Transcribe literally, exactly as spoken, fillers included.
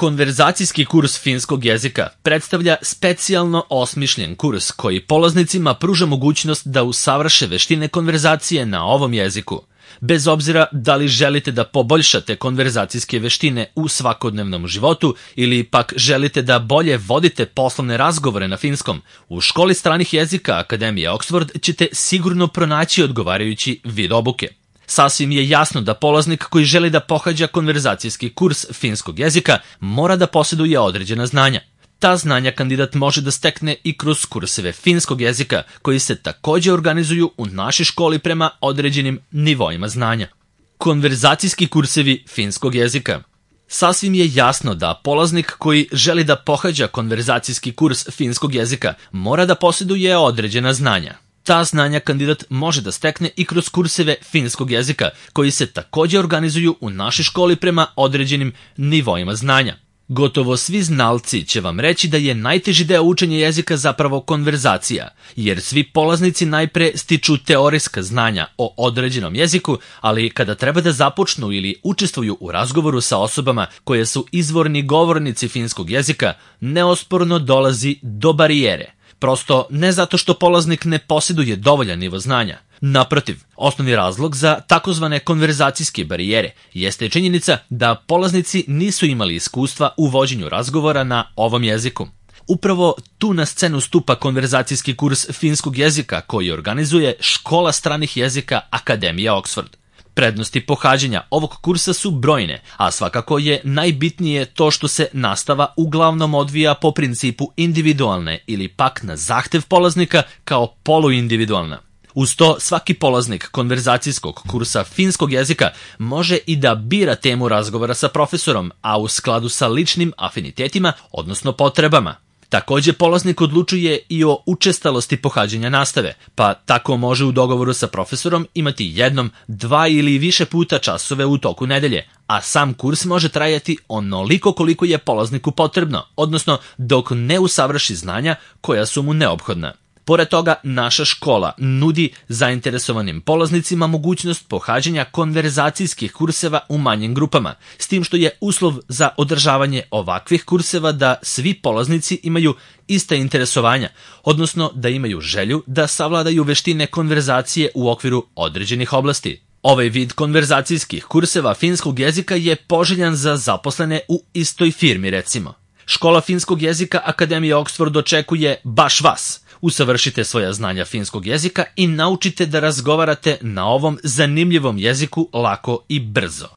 Konverzacijski kurs finskog jezika predstavlja specijalno osmišljen kurs koji polaznicima pruža mogućnost da usavrše veštine konverzacije na ovom jeziku. Bez obzira da li želite da poboljšate konverzacijske veštine u svakodnevnom životu ili pak želite da bolje vodite poslovne razgovore na finskom, u školi stranih jezika Akademije Oxford ćete sigurno pronaći odgovarajući vid obuke. Sasvim je jasno da polaznik koji želi da pohađa konverzacijski kurs finskog jezika mora da posjeduje određena znanja. Ta znanja kandidat može da stekne i kroz kurseve finskog jezika koji se također organizuju u našoj školi prema određenim nivoima znanja. Konverzacijski kursevi finskog jezika. Sasvim je jasno da polaznik koji želi da pohađa konverzacijski kurs finskog jezika mora da posjeduje određena znanja. Ta znanja kandidat može da stekne i kroz kurseve finskog jezika koji se također organizuju u našoj školi prema određenim nivoima znanja. Gotovo svi znalci će vam reći da je najteži deo učenja jezika zapravo konverzacija, jer svi polaznici najpre stiču teorijska znanja o određenom jeziku, ali kada treba da započnu ili učestvuju u razgovoru sa osobama koje su izvorni govornici finskog jezika, neosporno dolazi do barijere. Prosto ne zato što polaznik ne posjeduje dovoljan nivo znanja. Naprotiv, osnovni razlog za takozvane konverzacijske barijere jeste činjenica da polaznici nisu imali iskustva u vođenju razgovora na ovom jeziku. Upravo tu na scenu stupa konverzacijski kurs finskog jezika koji organizuje Škola stranih jezika Akademije Oxford. Prednosti pohađanja ovog kursa su brojne, a svakako je najbitnije to što se nastava uglavnom odvija po principu individualne ili pak na zahtev polaznika kao poluindividualna. Uz to, svaki polaznik konverzacijskog kursa finskog jezika može i da bira temu razgovora sa profesorom, a u skladu sa ličnim afinitetima, odnosno potrebama. Također polaznik odlučuje i o učestalosti pohađanja nastave, pa tako može u dogovoru sa profesorom imati jednom, dva ili više puta časove u toku nedelje, a sam kurs može trajati onoliko koliko je polazniku potrebno, odnosno dok ne usavrši znanja koja su mu neophodna. Pored toga, naša škola nudi zainteresovanim polaznicima mogućnost pohađanja konverzacijskih kurseva u manjim grupama, s tim što je uslov za održavanje ovakvih kurseva da svi polaznici imaju ista interesovanja, odnosno da imaju želju da savladaju veštine konverzacije u okviru određenih oblasti. Ovaj vid konverzacijskih kurseva finskog jezika je poželjan za zaposlene u istoj firmi, recimo. Škola finskog jezika Akademije Oxford očekuje baš vas. Usavršite svoja znanja finskog jezika i naučite da razgovarate na ovom zanimljivom jeziku lako i brzo.